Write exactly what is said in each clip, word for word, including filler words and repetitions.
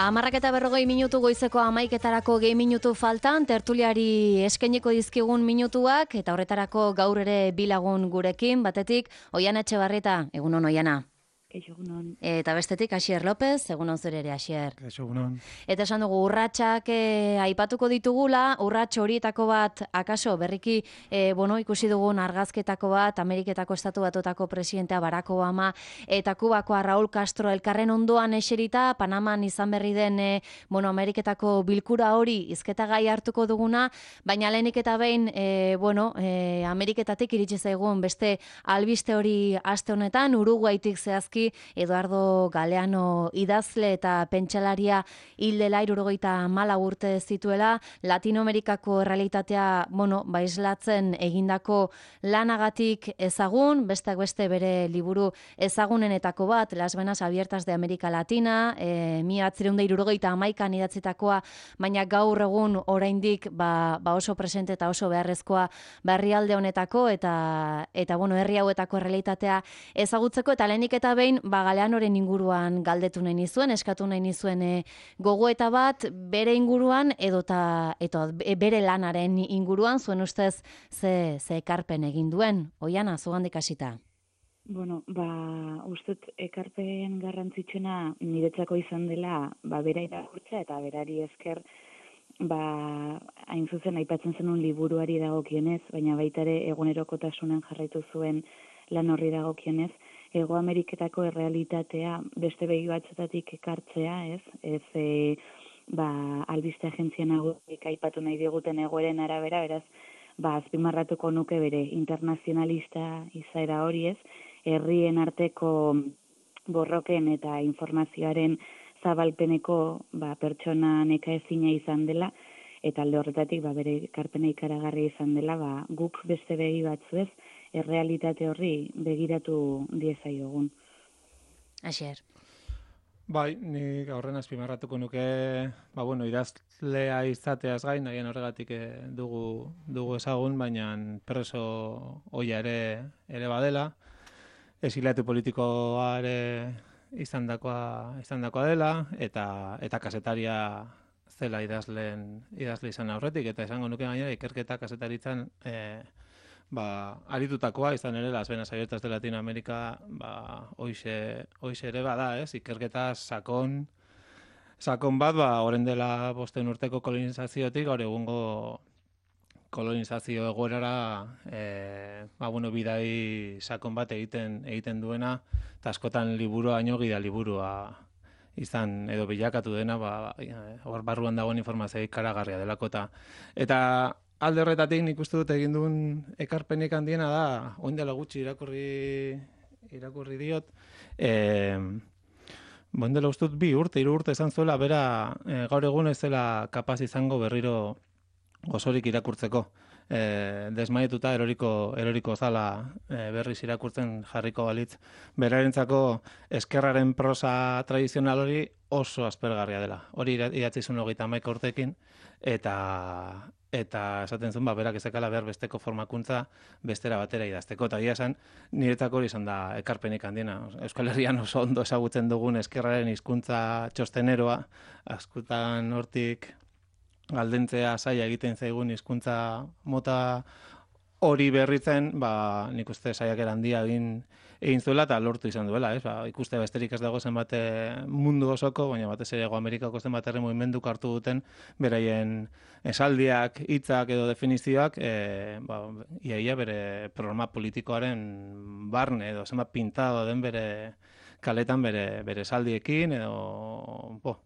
Hamarrak eta berrogei minutu goizeko hamaiketarako gehi minutu faltan, tertuliari eskainiko dizkigun minutuak, eta horretarako gaur ere bilagun gurekin, batetik, Oiana Etxebarrieta, egunon Oiana. Egunon. Eta bestetik, Asier López, egunon zure ere, Asier. Egunon. Eta esan dugu, urratsak e, aipatuko ditugula, urrats horietako bat, akaso, berriki, e, bueno, ikusi dugun argazketako bat, Ameriketako Estatu Batuetako presidentea Barack Obama, eta Kubakoa Raúl Castro elkarren ondoan eserita, Panaman izan berri den, e, bueno, Ameriketako bilkura hori hizketa gai hartuko duguna, baina lehenik eta behin, e, bueno, e, Ameriketatik iritsi zaigun beste albiste hori aste honetan, Uruguaitik zehazki, Eduardo Galeano idazle eta pentsalaria hildela hirurogeita hamalau urte zituela, Latinoamerikako errealitatea, bueno, baislatzen egindako lanagatik ezagun, besteak beste bere liburu ezagunenetako bat, Las Venas Abiertas de América Latina, e, mila bederatziehun eta hirurogeita hamaikan idatzitakoa, baina gaur egun oraindik ba, ba oso presente eta oso beharrezkoa herrialde honetako eta eta bueno, herri hauetako errealitatea ezagutzeko, eta lehenik eta behin ba Galeanoren inguruan galdetu nahi nizuen, eskatu nahi nizuen e, gogoeta bat bere inguruan edota eta bere lanaren inguruan, zuen ustez ze ze ekarpen egin duen. Oiana, zugandik hasita. Bueno, ba, ustez ekarpen garrantzitsuena niretzako izan dela, ba bera irakurtzea eta berari esker ba hain zuzen aipatzen zenun liburuari dagokionez, baina baita ere egunerokotasunen jarraitu zuen lan horri dagokionez, Hego Ameriketako errealitatea beste begi batzutatik ekartzea, ez? Ez e, ba, albiste agentzia nagusiek aipatu nahi diguten egoeren arabera, beraz, ba, azpimarratuko nuke bere internazionalista izaera hori, ez? Herrien arteko borroken eta informazioaren zabalpeneko ba, pertsona nekaezina izan dela, eta alde horretatik ba, bere ekarpena ikaragarria izan dela, ba, guk beste begi batzuez, errealitate horri begiratu diezaiogun. Asier. Bai, nik aurren azpimarratuko nuke, ba bueno, idazlea izateaz gain, nahien horregatik dugu dugu ezagun, baina preso oia ere ere badela, exiliatu politikoa ere izandakoa izandakoa dela, eta eta kasetaria zela idazleen idazle izan aurretik, eta esango nuke gainera ikerketa kasetaritzan eh ba, aritutakoa izan ere Las Venas Abiertas de Latinoamérica, ba, hoize, hoize ere bada, ez? Ikerketa sakon, sakon bat, ba, oren dela bosten urteko kolonizaziotik, gaur egungo kolonizazio egoerara, e, ba, bueno, bidai sakon bat egiten egiten duena, eta askotan liburua baino gida liburua izan edo bilakatu dena, ba, hor barruan dagoen informazioa ikaragarria delako, eta, eta alde horretatik nik uste dut egin duen ekarpenik handiena da, oin dela gutxi irakurri, irakurri diot, e, oin dela uste dut bi urte, hiru urte izan zuela, bera e, gaur egun ez zela kapaz izango berriro osorik irakurtzeko. E, desmaietuta eroriko, eroriko zala e, berriz irakurtzen jarriko balitz. Berarentzako eskerraren prosa tradizional hori oso aspergarria dela. Hori idatzi zuen hogeita hamaika urtekin, eta eta esaten zuen, ba, berak ezakala behar besteko formakuntza bestera batera idazteko. Eta egia esan, niretzako hori izan da ekarpenik handiena. Euskal Herrian oso ondo ezagutzen dugun eskerraren hizkuntza txosteneroa, askotan hortik galdentzea zaila egiten zaigun hizkuntza mota hori berritzen, ba, nik uste saiakera handia egin egin zuela eta lortu izan duela, ez? Ba, ikuste besterik ez dago zenbat mundu osoko, baina batez ere Hego Amerikako zenbat herri mugimenduk hartu duten beraien esaldiak, hitzak edo definizioak, e, ba, iaia bere programa politikoaren barne edo zenbat pintado den bere kaletan bere bere esaldiekin edo bo,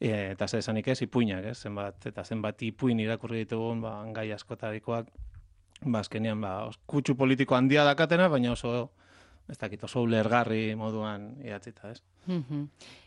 e, eta zer esanik ez, ipuinak, ez? Zenbat eta zenbat ipuin irakurri ditugun, ba, gai askotarikoak, ba, azkenean, ba, kutsu politiko handia dakatena, baina oso ez dakit, oso ulergarri moduan idatzita, ez?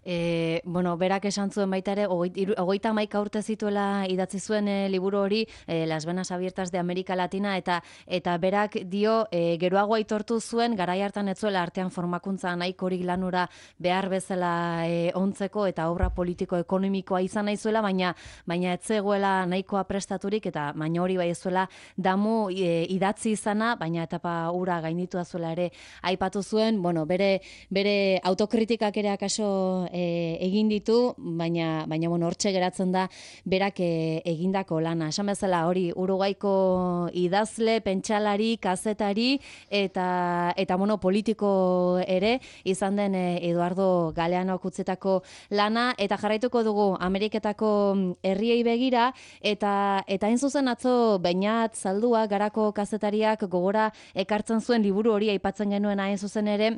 E, bueno, berak esan zuen baita ere, hogeita hamaika urte zituela idatzi zuen e, liburu hori, e, Las Venas Abiertas de América Latina, eta eta berak dio, e, geroago aitortu zuen, garai hartan ez zuela artean formakuntza nahikorik lanura behar bezala e, ontzeko, eta obra politiko-ekonomikoa izan nahi zuela, baina baina ez zegoela nahikoa prestaturik, eta baina hori bai ez zuela damu e, idatzi izana, baina etapa ura gainditu zuela ere aipatu zuen, bueno, bere, bere autokritikak ere ere akaso e, egin ditu, baina, baina bueno, hortxe geratzen da berak e, egindako lana. Esan bezala hori Uruguaiko idazle, pentsalari, kazetari eta, eta bueno, politiko ere izan den e, Eduardo Galeanok utzetako lana, eta jarraituko dugu Ameriketako herriei begira, eta eta hain zuzen atzo Beñat Zaldua Garako kazetariak gogora ekartzen zuen liburu hori aipatzen genuen hain zuzen ere,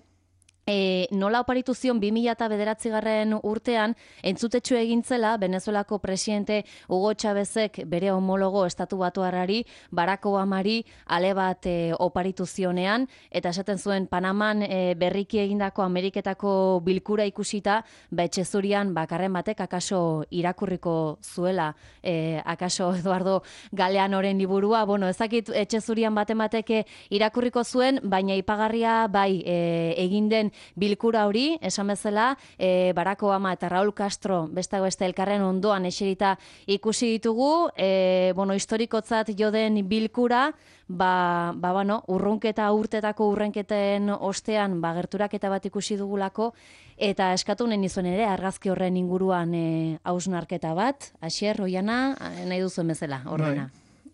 E, nola oparitu zion bi mila bederatzigarren urtean entzutetxu egintzela Venezuelako presidente Hugo Chávezek bere homologo estatu batuarrari Barack Obamari ale bat e, oparitu zionean, eta esaten zuen Panaman e, berriki egindako Ameriketako bilkura ikusita, ba etxezurian bakarren batek akaso irakurriko zuela e, akaso Eduardo Galeanoren liburua. Bueno, ezakit etxezurian baten batek irakurriko zuen, baina ipagarria bai e, egin den bilkura hori, esan bezala, e, Barack Obama eta Raúl Castro besteak beste elkarren ondoan eserita ikusi ditugu, e, bueno, historikotzat jo den bilkura, ba, ba, bueno, urrunketa urtetako urrenketen ostean, ba, gerturaketa bat ikusi dugulako, eta eskatu nahi nizuen ere, argazki horren inguruan e, hausnarketa bat, Asier, Oiana, nahi duzuen bezala, ordena.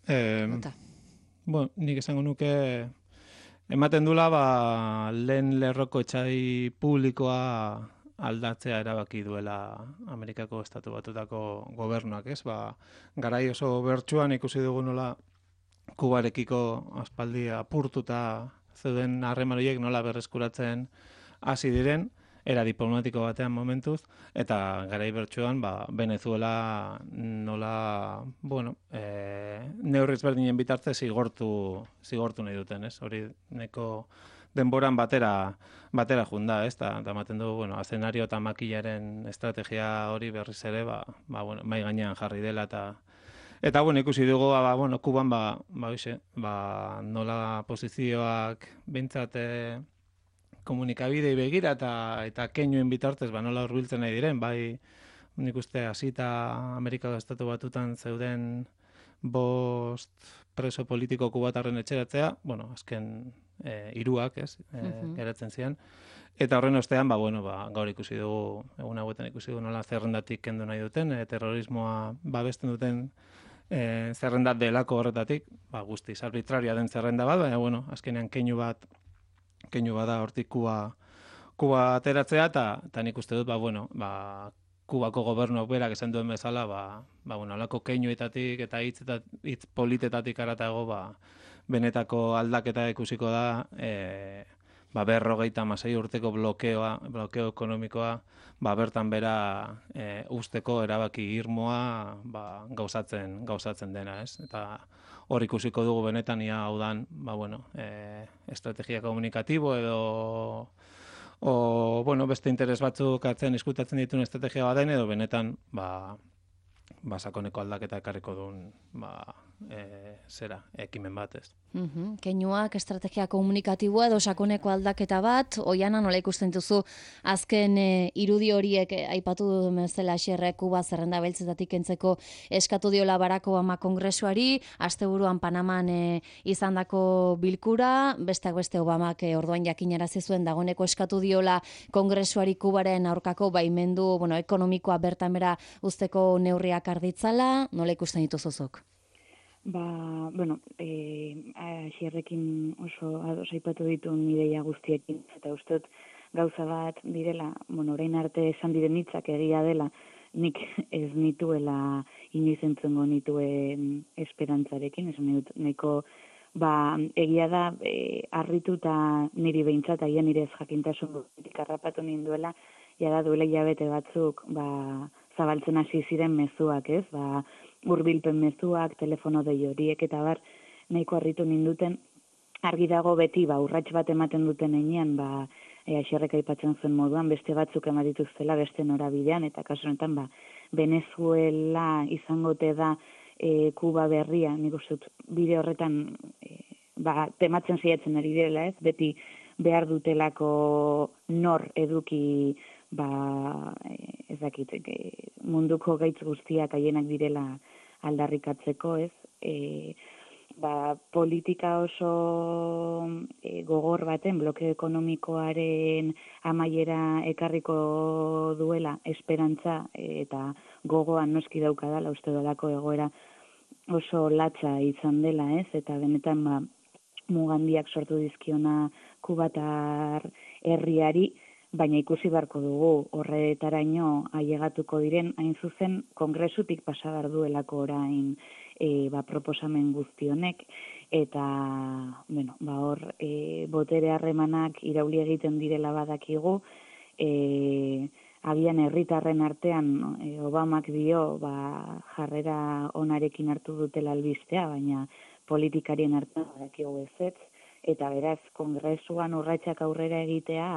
Eh, bueno, nik esango nuke, ematen dula, ba, lehen lerroko etxai publikoa aldatzea erabaki duela Amerikako estatu batutako gobernuak, ez? Ba, garai oso bertsuan ikusi dugu nola Kubarekiko aspaldi apurtuta zeuden harreman horiek nola berreskuratzen hasi diren, era diplomatiko batean momentuz, eta garai bertsuan ba, Venezuela nola, bueno, e, neurriz berdinen bitartez zigortu, zigortu nahi duten, ez? Hori neko denboran batera, batera junda, ez? Ta, ta ematen du, bueno, azenario eta makillaren estrategia hori berriz ere, ba, ba, bueno, mai gainean jarri dela, eta Eta, bueno, ikusi dugu, ba, bueno, Kuban, ba, ba, oixe, ba, nola posizioak bintzat komunikabidei begira eta eta keinuen bitartez ba nola hurbiltzen nahi diren, bai nik uste hasita Amerikako estatu batutan zeuden bost preso politiko kubatarren etxeratzea, bueno, azken e, hiruak, ez, e, uh-huh. geratzen ziren. Eta horren ostean, ba, bueno, ba, gaur ikusi dugu, egun hauetan ikusi dugu nola zerrendatik kendu nahi duten, e, terrorismoa babesten duten e, zerrendat delako horretatik, ba, guztiz arbitraria den zerrenda bat, baina, bueno, azkenean keinu bat keinu bada hortik Kuba, Kuba ateratzea, eta nik uste dut, ba, bueno, ba, Kubako gobernuak berak esan duen bezala, ba, ba, bueno, alako keinuetatik eta hitz eta hitz politetatik aratago, ba, benetako aldaketa ikusiko da, e, ba, berrogeita hamasei urteko blokeoa, blokeo ekonomikoa, ba, bertan bera e, usteko erabaki irmoa ba, gauzatzen, gauzatzen dena, ez? Eta hor ikusiko dugu benetan ia hau dan, ba, bueno, e, estrategia komunikatibo edo o, bueno, beste interes batzuk atzen diskutatzen dituen estrategia baden edo benetan, ba, ba sakoneko aldaketa ekarriko duen, ba, e, zera, ekimen bat, ez. Uh-huh. Keinuak, estrategia komunikatiboa edo sakoneko aldaketa bat, Oiana nola ikusten duzu azken e, irudi horiek e, aipatu du bezala Xerre Kuba zerrenda beltzetatik kentzeko eskatu diola Barack Obama kongresuari, asteburuan Panaman e, izandako bilkura, besteak beste Obamak e, orduan jakinarazi zuen dagoneko eskatu diola kongresuari Kubaren aurkako baimendu, bueno, ekonomikoa bertan bera usteko neurriak arditzala, nola ikusten dituzuzuk? Ba, bueno, e, Xierrekin oso ados aipatu dituen ideia guztiekin, eta uste dut gauza bat direla, bueno, orain arte esan diren hitzak egia dela, nik ez nituela inoiz entzungo nituen esperantzarekin, esan dut, nahiko, ba, egia da, e, harrituta niri behintzat, aia nire ez jakintasun guzitik harrapatu ninduela, jada duela hilabete batzuk, ba, zabaltzen hasi ziren mezuak, ez, ba, hurbilpen mezuak, telefono dei horiek eta bar nahiko harritu ninduten, argi dago beti ba urrats bat ematen duten heinean, ba e, Xerrek aipatzen zuen moduan beste batzuk eman dituztela beste norabidean, eta kasu honetan ba Venezuela izangote da e, Kuba berria, nik uste dut bide horretan e, ba tematzen saiatzen ari direla, ez, beti behar dutelako nor eduki ba, ez dakit, munduko gaitz guztiak haienak direla aldarrikatzeko, ez? E, ba, politika oso e, gogor baten, bloke ekonomikoaren amaiera ekarriko duela esperantza e, eta gogoan noski daukadala uste dolako egoera oso latza izan dela, ez? Eta benetan ba, mugandiak sortu dizkiona kubatar herriari, baina ikusi beharko dugu horretaraino ailegatuko diren, hain zuzen kongresutik pasa behar duelako orain e, ba, proposamen guzti honek, eta bueno, ba, hor e, botere harremanak irauli egiten direla badakigu, e, agian herritarren artean e, Obamak dio ba, jarrera onarekin hartu dutela albistea, baina politikarien artean badakigu ezetz, eta beraz kongresuan urratsak aurrera egitea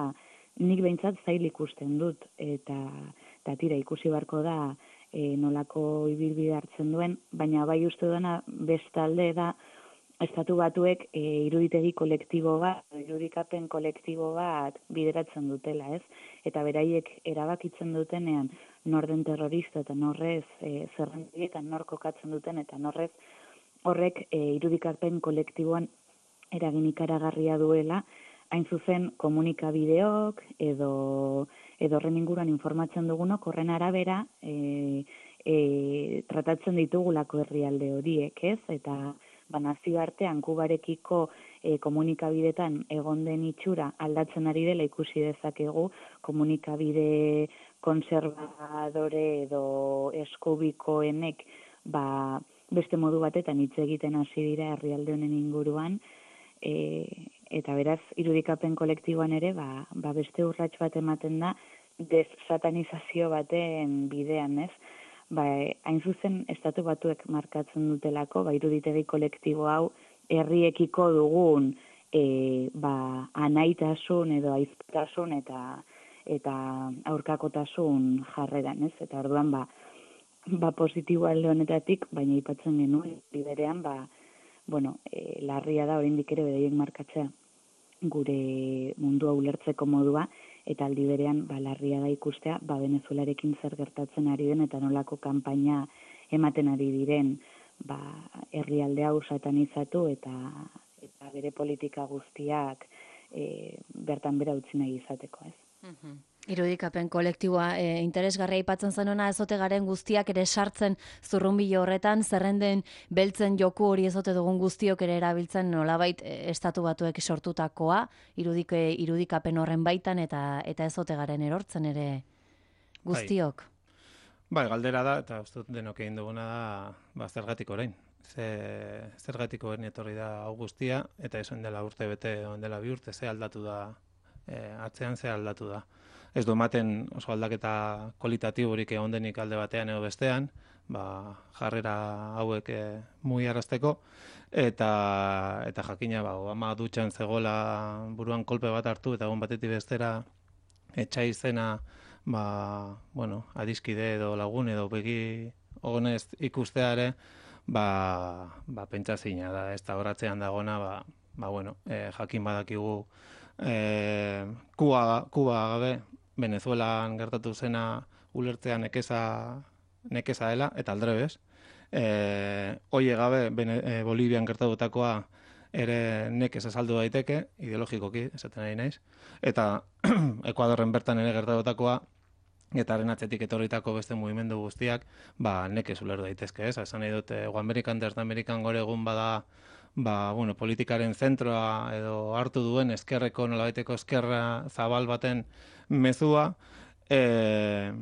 nik behintzat zail ikusten dut, eta, eta tira ikusi beharko da e, nolako ibilbide hartzen duen, baina bai uste duena bestalde da Estatu Batuek e, iruditegi kolektibo bat, irudikapen kolektibo bat bideratzen dutela, ez? Eta beraiek erabakitzen dutenean nor den terrorista eta norrez e, zerrendietan nor kokatzen duten eta norrez horrek e, irudikapen kolektiboan eragin ikaragarria duela, hain zuzen komunikabideok edo edo horren inguruan informatzen dugunok horren arabera e, e, tratatzen ditugulako herrialde horiek, ez? Eta ba, nazioartean Kubarekiko e, komunikabidetan egon den itxura aldatzen ari dela ikusi dezakegu, komunikabide konservadore edo eskubikoenek ba, beste modu batetan hitz egiten hasi dira herrialde honen inguruan, e, eta beraz irudikapen kolektiboan ere ba, ba beste urrats bat ematen da desatanizazio baten bidean, ez? Ba, hain zuzen Estatu Batuek markatzen dutelako, ba, iruditegi kolektibo hau herriekiko dugun e, ba, anaitasun edo aiztasun eta eta aurkakotasun jarreran, ez? Eta orduan ba, ba positibo alde honetatik, baina aipatzen genuen biderean ba, bueno, e, larria da oraindik ere beraiek markatzea gure mundua ulertzeko modua, eta aldi berean ba, larria da ikustea ba, Venezuelarekin zer gertatzen ari den eta nolako kanpaina ematen ari diren ba, herrialde hau satanizatu eta, eta bere politika guztiak e, bertan bera utzi nahi izateko, ez? Mhm. Irudikapen kolektiboa e, interesgarria aipatzen zenuna ezote garen guztiak ere sartzen zurrunbilo horretan, zerrenden beltzen joku hori ezote dugun guztiok ere erabiltzen nolabait e, Estatu Batuek sortutakoa, irudike, irudikapen horren baitan eta eta ezote garen erortzen ere guztiok. Bai, bai galdera da, eta uste dut denok egin duguna da, ba, zergatik orain. Ze, zergatik orain etorri da hau guztia, eta esan dela urte bete, dela bi urte, ze aldatu da, e, atzean ze aldatu da. Ez du ematen oso aldaketa kualitatiborik egon denik alde batean edo bestean, ba, jarrera hauek e, mugiarazteko, eta eta jakina ba, Obama dutxan zegoela buruan kolpe bat hartu, eta egon batetik bestera etxai izena ba, bueno, adiskide edo lagun edo begi honez ikustea ere, ba, ba, pentsazina da, ez da horatzean dagona, ba, ba, bueno, e, jakin badakigu e, Kuba, Kuba gabe, Venezuelan gertatu zena ulertzea nekeza, nekeza dela, eta aldrebez. E, Oie gabe, Bene, e, Bolivian gertatutakoa ere nekez azaldu daiteke, ideologikoki, esaten ari naiz. Eta Ekuadorren bertan ere gertatutakoa, eta haren atzetik etorritako beste mugimendu guztiak, ba, nekez uler daitezke, ez? Esan nahi dut, Ego Amerikan, Desde Amerikan gore egun bada, ba, bueno, politikaren zentroa edo hartu duen eskerreko, nolabaiteko eskerra zabal baten mezua, e,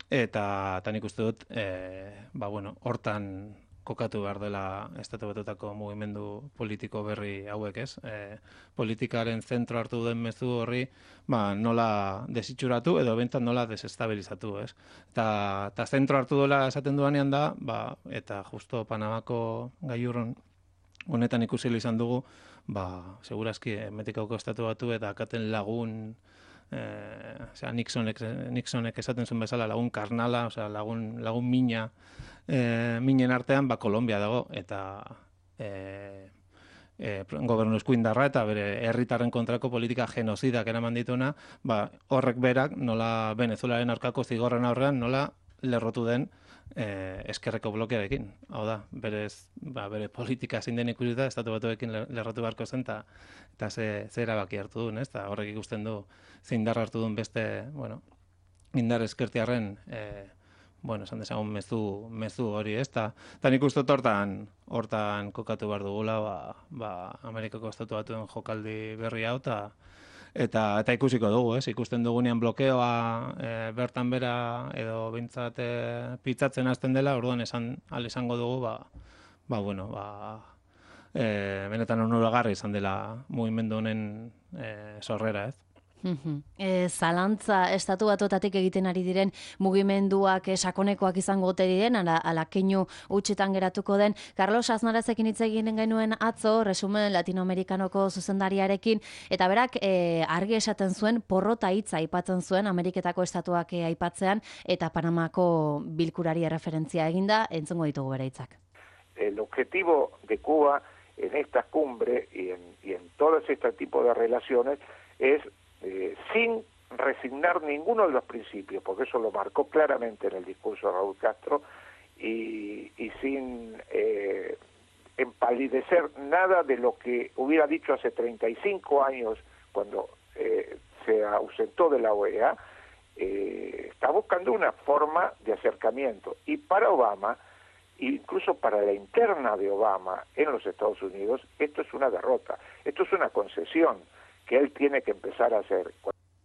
eta eta nik uste dut, e, ba, bueno, hortan kokatu behar dela Estatu Batuetako mugimendu politiko berri hauek, ez? E, politikaren zentro hartu duen mezu horri, ba, nola desitxuratu edo bentan nola desestabilizatu, ez? Eta, eta zentro hartu duela esaten duanean da, ba, eta justo Panamako gaiurron honetan ikusi izan dugu, ba, segurazki Mexikoko Estatu Batu eta akaten lagun, eh, osea, Nixonek, Nixonek esaten zuen bezala lagun karnala, osea, lagun, lagun mina, eh, minen artean, ba, Kolombia dago, eta eh, eh, gobernu eskuindarra eta bere herritarren kontrako politika genozidak eraman dituna, ba, horrek berak, nola Venezuelaren aurkako zigorren aurrean, nola lerrotu den eh, eskerreko blokearekin. Hau da, berez, ba, bere politika zein den ikusita, estatu batuekin lerrotu beharko zen, eta eta ze, ze erabaki hartu duen, ez? Ta horrek ikusten du zein indar hartu duen beste, bueno, indar eskertiarren, eh, bueno, esan dezagun mezu, mezu hori, ez? Ta, ta nik uste dut hortan, hortan kokatu behar dugula, ba, ba, Amerikako estatu batuen jokaldi berri hau, ta, eta, eta ikusiko dugu, ez? Ikusten dugunean blokeoa e, bertan bera edo bintzat e, pitzatzen hasten dela, orduan esan, al esango dugu, ba, ba bueno, ba, e, benetan onuragarri izan dela mugimendu honen e, sorrera, ez? E, zalantza estatu batuetatik egiten ari diren mugimenduak e, sakonekoak izango ote diren, ala, ala keinu utxetan geratuko den. Carlos Aznarrezekin hitz egin genuen atzo, resumen latinoamerikanoko zuzendariarekin, eta berak e, argi esaten zuen, porrota hitza aipatzen zuen, Ameriketako estatuak e, aipatzean, eta Panamako bilkurari referentzia eginda, entzungo ditugu bere hitzak. El objetivo de Cuba en esta cumbre y en, y en todo este tipo de relaciones es Eh, sin resignar ninguno de los principios, porque eso lo marcó claramente en el discurso de Raúl Castro, y, y sin eh, empalidecer nada de lo que hubiera dicho hace treinta y cinco años cuando eh, se ausentó de la O E A, eh, está buscando una forma de acercamiento. Y para Obama, incluso para la interna de Obama en los Estados Unidos, esto es una derrota, esto es una concesión que él tiene que empezar a hacer.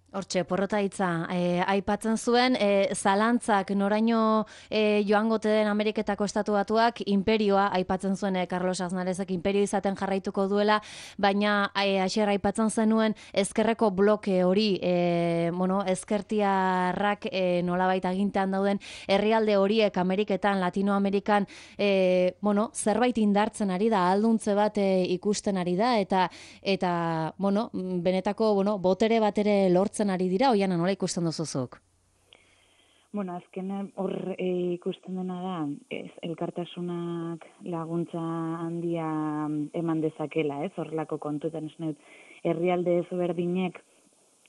Hortxe, porrota hitza, e, aipatzen zuen, e, zalantzak noraino e, joangote den Ameriketako estatu batuak, imperioa, aipatzen zuen e, Carlos Aznarezek imperio izaten jarraituko duela, baina e, asier aipatzen zenuen ezkerreko bloke hori, e, bueno, ezkertiarrak e, nolabait agintean dauden herrialde horiek Ameriketan, Latinoamerikan, e, bueno, zerbait indartzen ari da, alduntze bat e, ikusten ari da, eta, eta bueno, benetako, bueno, botere bat ere lortzen ari dira, oiana nola ikusten duzuzuk? Bueno, azken hor e, ikusten dena da, ez, elkartasunak laguntza handia eman dezakela, ez, horrelako kontutan esneut, herrialde ezberdinek,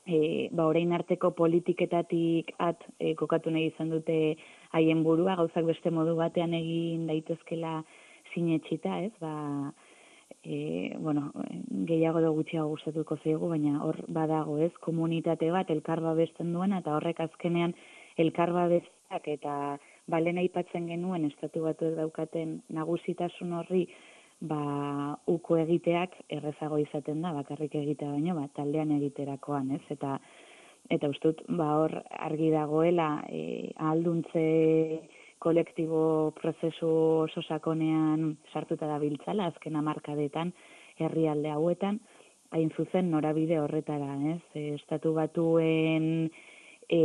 e, ba, orain arteko politiketatik at e, kokatu nahi izan dute haien burua, gauzak beste modu batean egin daitezkela sinetxita, ez, ba, E, bueno, gehiago edo gutxiago gustatuko zaigu, baina hor badago, ez, komunitate bat elkar babesten duena, eta horrek azkenean elkar babesteak eta balen aipatzen genuen estatu batuek daukaten nagusitasun horri ba uko egiteak errezago izaten da, bakarrik egitea baino, ba, taldean egiterakoan, ez, eta eta ustut, ba hor argi dagoela e, ahalduntze kolektibo prozesu oso sakonean sartuta da biltzala, azken hamarkadetan herrialde hauetan, hain zuzen norabide horretara, ez? E, estatu batuen e,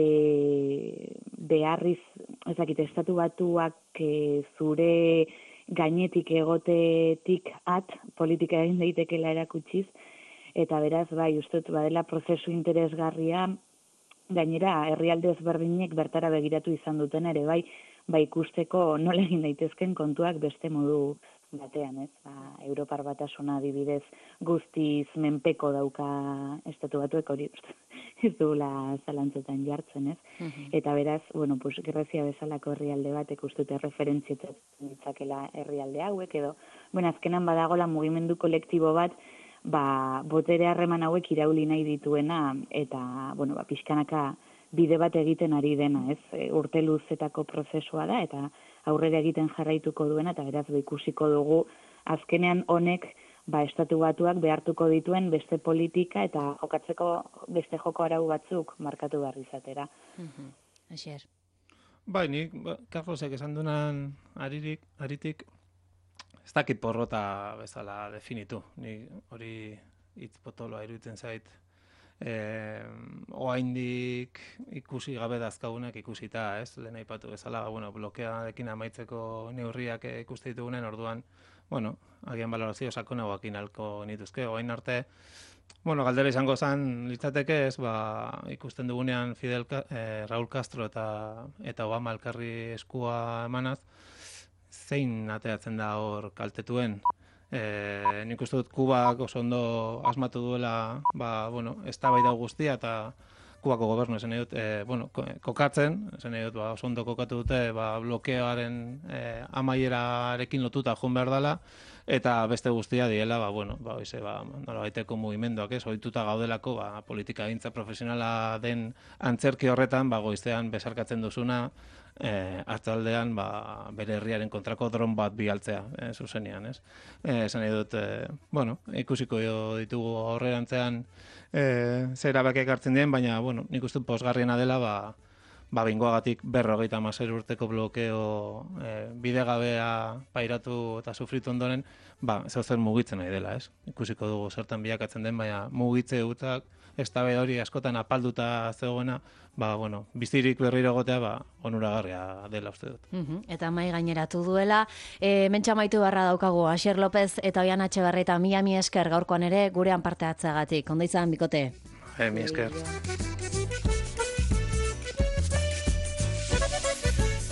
beharriz, ezakit, estatu batuak e, zure gainetik egotetik at politika egin daitekela erakutsiz, eta beraz, bai, ustut, badela prozesu interesgarria, gainera, herrialde ezberdinek bertara begiratu izan duten ere, bai, ba ikusteko nola egin daitezken kontuak beste modu batean, ez? Ba, Europar Batasuna adibidez guztiz menpeko dauka estatu batuek hori ez duela zalantzetan jartzen, ez? Uh-huh. Eta beraz, bueno, pues Grezia bezalako herrialde batek ustute referentzietzen ditzakela herrialde hauek edo, bueno, azkenan badagola mugimendu kolektibo bat, ba, botere harreman hauek irauli nahi dituena eta, bueno, ba, pixkanaka bide bat egiten ari dena, ez? E, urte luzetako prozesua da, eta aurrera egiten jarraituko duena, eta beraz ikusiko dugu, azkenean honek, ba, estatu batuak behartuko dituen beste politika, eta jokatzeko beste joko arau batzuk markatu behar izatera. Uh-huh. Asier. Bai, nik, ba, Carlosek esan dunan aririk, aritik, ez dakit porrota bezala definitu. Ni hori hitz potoloa iruditzen zait, Eh, oaindik ikusi gabe dazkagunak ikusita, ez? Lehen aipatu bezala, bueno, blokearekin amaitzeko neurriak ikuste ditugunen, orduan, bueno, agian balorazio sakonagoekin halko nituzke. Orain arte, bueno, galdera izango zen litzateke, ez, ba, ikusten dugunean Fidel eh, Raúl Castro eta eta Obama elkarri eskua emanaz, zein ateratzen da hor kaltetuen? Eh, nik uste dut Kubak oso ondo asmatu duela, ba, bueno, eztabaida guztia eta Kubako gobernu esan dut, e, bueno, kokatzen, esan dut, ba, oso ondo kokatu dute, ba, blokeoaren e, amaierarekin lotuta joan behar dela, eta beste guztia diela, ba, bueno, ba, oize, ba, nolabaiteko mugimenduak, ez, ohituta gaudelako, ba, politika gintza profesionala den antzerki horretan, ba, goiztean besarkatzen duzuna, eh, hartzaldean, ba, bere herriaren kontrako dron bat bialtzea, eh, zuzenean, ez. Eh, esan nahi dut, eh, bueno, ikusiko ditugu aurrerantzean eh, zer erabakiak hartzen dien, baina, bueno, nik uste pozgarriena dela, ba, ba, bingoagatik berrogeita hamasei urteko blokeo e, bidegabea pairatu eta sufritu ondoren, ba, zer mugitzen nahi dela, ez? Ikusiko dugu zertan bilakatzen den, baina mugitze utak, eztabaida hori askotan apalduta zegoena, ba, bueno, bizirik berriro egotea, ba, onuragarria dela uste dut. Uh-huh. Eta mai gaineratu duela, e, mentxa maitu barra daukagu, Asier López eta Oian Etxebarrieta, mila mi esker gaurkoan ere gurean parte hartzeagatik. Ondo izan, bikote? E, mi esker.